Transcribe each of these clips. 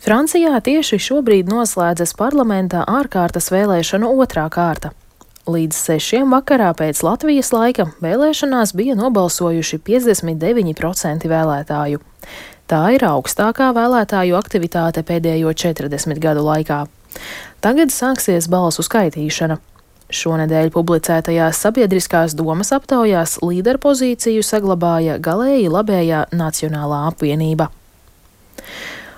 Francijā tieši šobrīd noslēdzas parlamentā ārkārtas vēlēšanu otrā kārta. Līdz 6 vakarā pēc Latvijas laika vēlēšanās bija nobalsojuši 59% vēlētāju. Tā ir augstākā vēlētāju aktivitāte pēdējo 40 gadu laikā. Tagad sāksies balsu skaitīšana. Šonedēļ publicētajās sabiedriskās domas aptaujās līderpozīciju saglabāja galēji labējā Nacionālā apvienība.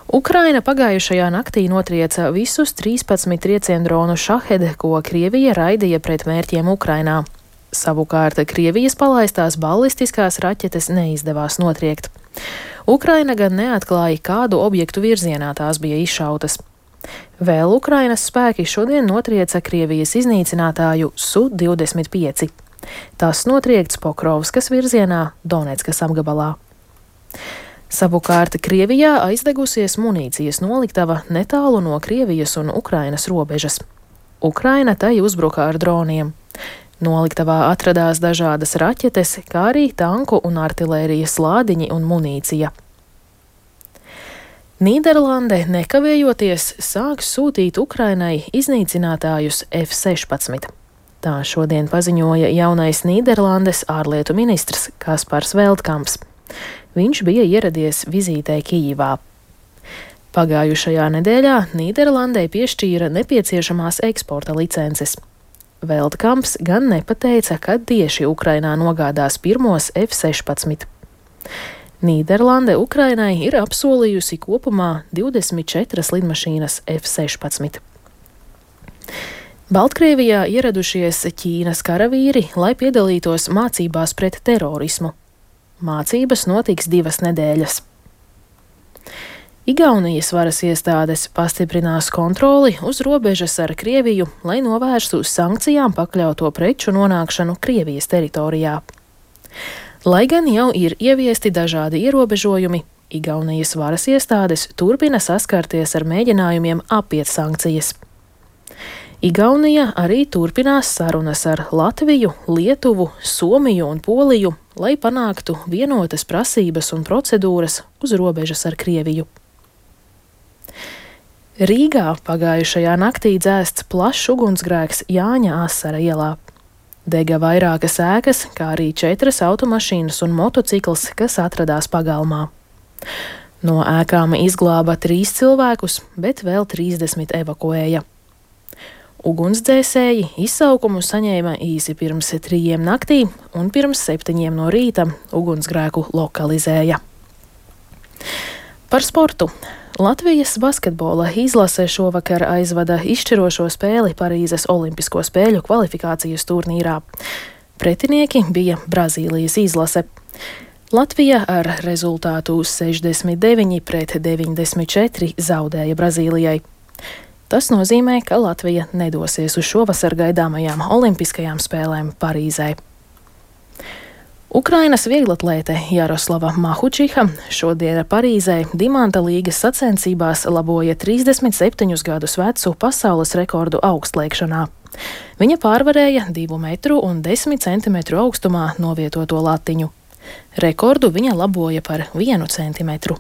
Ukraina pagājušajā naktī notrieca visus 13 trieciendronu Šahed, ko Krievija raidīja pret mērķiem Ukrainā. Savukārt Krievijas palaistās ballistiskās raķetes neizdevās notriekt. Ukraina gan neatklāja, kādu objektu virzienā tās bija izšautas. Vēl Ukrainas spēki šodien notrieca Krievijas iznīcinātāju Su-25. Tas notriekts Pokrovskas virzienā, Donetskas apgabalā. Savukārt Krievijā aizdegusies munīcijas noliktava netālu no Krievijas un Ukrainas robežas. Ukraina tai uzbruka ar droniem. Noliktavā atradās dažādas raķetes, kā arī tanku un artilērijas lādiņi un munīcija. Nīderlande nekavējoties sāks sūtīt Ukrainai iznīcinātājus F-16. Tā šodien paziņoja jaunais Nīderlandes ārlietu ministrs Kaspars Veldkamps. Viņš bija ieradies vizītē Kijivā. Pagājušajā nedēļā Nīderlandei piešķīra nepieciešamās eksporta licences. Veldkamps gan nepateica, kad tieši Ukrainā nogādās pirmos F-16. Nīderlande Ukrainai ir apsolījusi kopumā 24 lidmašīnas F-16. Baltkrievijā ieradušies Ķīnas karavīri, lai piedalītos mācībās pret terorismu. Mācības notiks 2 nedēļas. Igaunijas varas iestādes pastiprinās kontroli uz robežas ar Krieviju, lai novērstu sankcijām pakļauto preču nonākšanu Krievijas teritorijā. Lai gan jau ir ieviesti dažādi ierobežojumi, Igaunijas varas iestādes turpina saskarties ar mēģinājumiem apiet sankcijas. Igaunija arī turpinās sarunas ar Latviju, Lietuvu, Somiju un Poliju, lai panāktu vienotas prasības un procedūras uz robežas ar Krieviju. Rīgā pagājušajā naktī dzēsts plašs ugunsgrēks Jāņa Asara ielā. Dega vairākas ēkas, kā arī 4 automašīnas un motocikls, kas atradās pagalmā. No ēkām izglāba 3 cilvēkus, bet vēl 30 evakuēja. Ugunsdzēsēji izsaukumu saņēma īsi pirms 3 naktī un pirms 7 no rīta ugunsgrēku lokalizēja. Par sportu. Latvijas basketbola izlase šovakar aizvada izšķirošo spēli Parīzes Olimpisko spēļu kvalifikācijas turnīrā. Pretinieki bija Brazīlijas izlase. Latvija ar rezultātu 69-94 zaudēja Brazīlijai. Tas nozīmē, ka Latvija nedosies uz šovasar gaidāmajām Olimpiskajām spēlēm Parīzē. Ukrainas vieglatlēte Jaroslava Mahučiha šodien Parīzē Dimanta līgas sacensībās laboja 37 gadus vecu pasaules rekordu augstliekšanā. Viņa pārvarēja 2 metru un 10 centimetru augstumā novietoto latiņu. Rekordu viņa laboja par 1 centimetru.